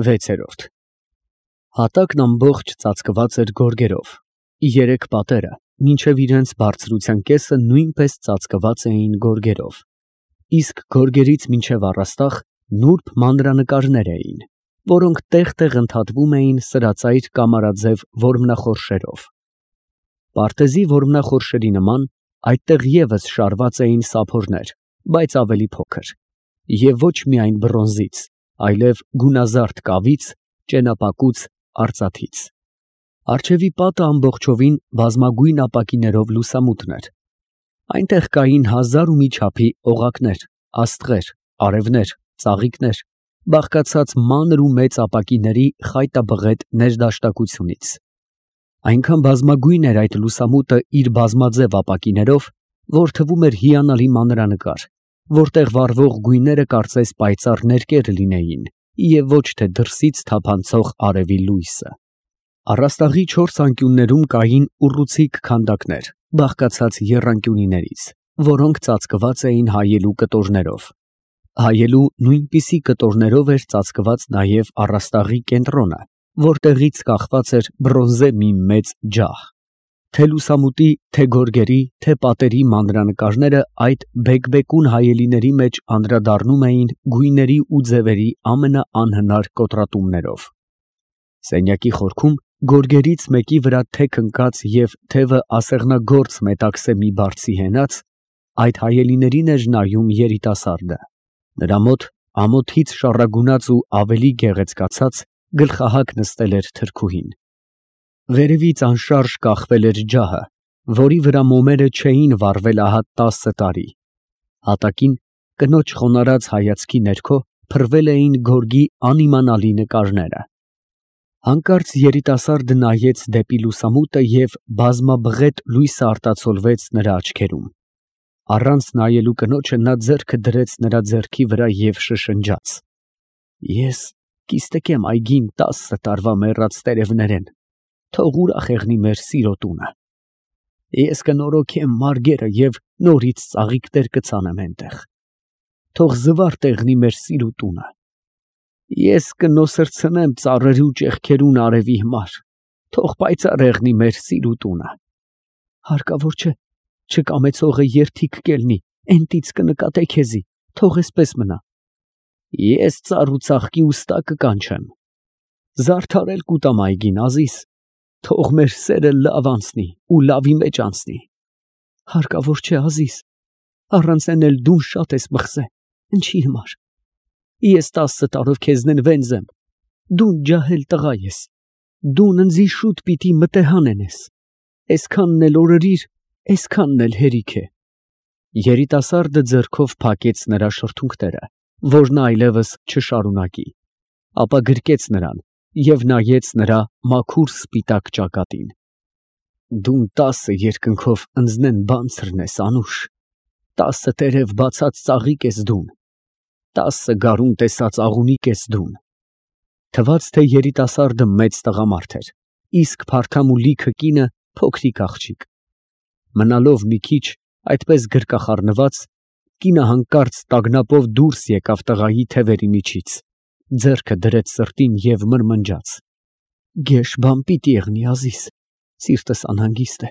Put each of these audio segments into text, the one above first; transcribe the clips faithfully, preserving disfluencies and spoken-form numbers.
վեցերորդ Հատակն ամբողջ ծածկված էր գորգերով, երեք պատերը մինչև իրենց բարձրության կեսը նույնպես ծածկված էին գորգերով, իսկ գորգերից մինչև առաստաղ նուրբ մանրանկարներ էին, որոնք տեղ֊տեղ ընդհատվում էին սրածայր կամարաձև որմնախորշերով։ Պարտեզի որմնախորշերի նման այդտեղ ևս շարված էին սափորներ, բայց ավելի փոքր, և ոչ միայն բրոնզից, այլև գունազարդ կավից, ճենապակուց, արծաթից։ Առջևի պատը ամբողջովին բազմագույն ապակիներով լուսամուտն էր։ Այնտեղ կային հազար ու մի չափի օղակներ, աստղեր, արևներ, ծաղիկներ, բաղկացած մանր ու մեծ ապակիների խայտաբղետ ներդաշնակությունից։ Այնքան բազմագույն էր այդ լուսամուտը իր բազմաձև ապակիներով, որ թվում էր հիանալի մանրանկար, որտեղ վառվող գույները կարծես պայծառ ներկեր լինեին և ոչ թե դրսից թափանցող արևի լույսը։ Առաստաղի չորս անկյուններում կային ուռուցիկ քանդակներ, բաղկացած եռանկյունիներից, որոնք ծածկված էին հայելու կտորներով։ Հայելու նույնպիսի կտորներով էր ծածկված նաև առաստաղի կենտրոնը, որտեղից կախված էր բրոնզե մի մեծ ջահ։ Թե լուսամուտի, թե գորգերի, թե պատերի մանրանկարները այդ բեկբեկուն հայելիների մեջ անդրադառնում էին գույների ու ձևերի ամենաանհնար կոտրատումներով։ Սենյակի խորքում գորգերից մեկի վրա թեք ընկած և թևը ասեղնագործ մետաքսե մի բարձի հենած, այդ հայելիներին էր նայում երիտասարդը։ Նրա մոտ ամոթից շառագունած ու ավելի գեղեցկացած գլխահակ նստել էր թրքուհին։ Վերևից անշարժ կախվել էր ջահը, որի վրա մոմերը չէին վառվել ահա տասը տարի։ Հատակին, կնոջ խոնարհած հայացքի ներքո, փռվել էին գորգի անիմանալի նկարները։ Հանկարծ երիտասարդը նայեց դեպի լուսամուտը և բազմաբղետ լույսը արտացոլվեց նրա աչքերում։ Առանց նայելու կնոջը նա ձեռքը դրեց նրա ձեռքի վրա և շշնջաց. «Ես կիստկեմ այգին տասը տարվա մեռած տերևներեն, թող ուրախ եղնի մեր սիրո տունը։ Ես կնորոգեմ մարգերը և նորից ծաղիկներ կցանեմ էնտեղ, թող զվարթ եղնի մեր սիրո տունը։ Ես կնոսրցնեմ ծառերի ու ճեղքերուն արևի համար, թող պայծառ եղնի մեր սիրո տունը։ Հարկավոր չէ, չկամեցողը երդիկ կելնի, էնտից կնկատե քեզի, թող էսպես մնա։ Ես ծառ ու ծաղկի ուստա կկանչեմ, զարդարել կուտամ այգին, Ազիզ, թող մեր սերը լավ անցնի ու լավի մեջ անցնի։ Հարկավոր չէ, Ազիզ, առանց էն էլ դուն շատ ես մխսե, ինչի համար։ Ես տասը տարով քեզնեն վենձ եմ, դուն ջահել տղա ես, դուն ընձի շուտ պիտի մտեհան ենես, էսքանն էլ օրորիր, էսքանն էլ հերիք է։ Երիտասարդը ձեռքով փակեց նրա շրթունքները, որ նա այլևս չշարունակի, ապա գրկեց նրան և նայեց նրա մաքուր սպիտակ ճակատին։ Դուն տասը երկնքով ընձնեն բանցրն ես, Անուշ, տասը տերև բացած ծաղիկ ես դուն, տասը գարուն տեսած աղունիկ ես դուն։ Թվաց, թե երիտասարդը մեծ տղամարդ էր, իսկ փարթամ ու լիքը կինը փոքրիկ աղջիկ։ Մնալով մի քիչ այդպես գրկախառնված, կինը հանկարծ տագնապով դուրս եկավ տղայի թևերի միջից, ձեռքը դրեց սրտին և մրմնջաց. «Գեշ բան պիտի եղնի, Ազիզ, սիրտս անհանգիստ է,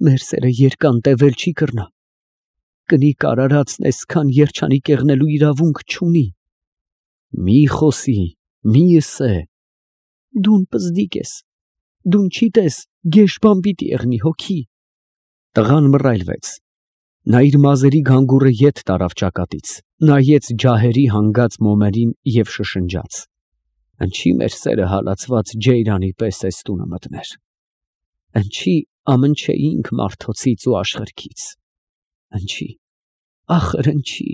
մեր սերը երկար տևել չի կռնա, կնիկ արարածն էսքան երջանիկ եղնելու իրավունք չունի»։ Մի խոսի, մի ըսե։ Դուն պզդիկ ես, դուն չիտես, գեշ բան պիտի եղնի, հոգի։ Տղան մռայլվեց, նա իր մազերի գանգուրը ետ տարավ ճակատից, նայեց ջահերի հանգած մոմերին և շշնջաց. «Ընչի մեր սերը հալածված ջեյրանի պես էս տունը մտներ, ընչի ամնչեինք մարդոցից ու աշխարհքից, ընչի, ախր ընչի»։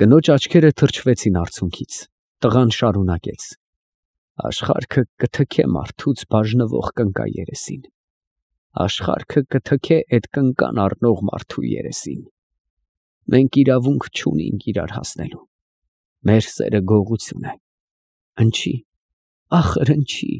Կնոջ աչքերը թրջվեցին արցունքից, տղան շարունակեց. «Աշխարհքը կթքե մարդուց բաժնվող կնկա երեսին, աշխարհքը կթքե էդ կնկան առնող մարդու երեսին։ Մենք իրավունք չունենք իրար հասնելու, մեր սերը գողություն է, ընչի, ախր ընչի»։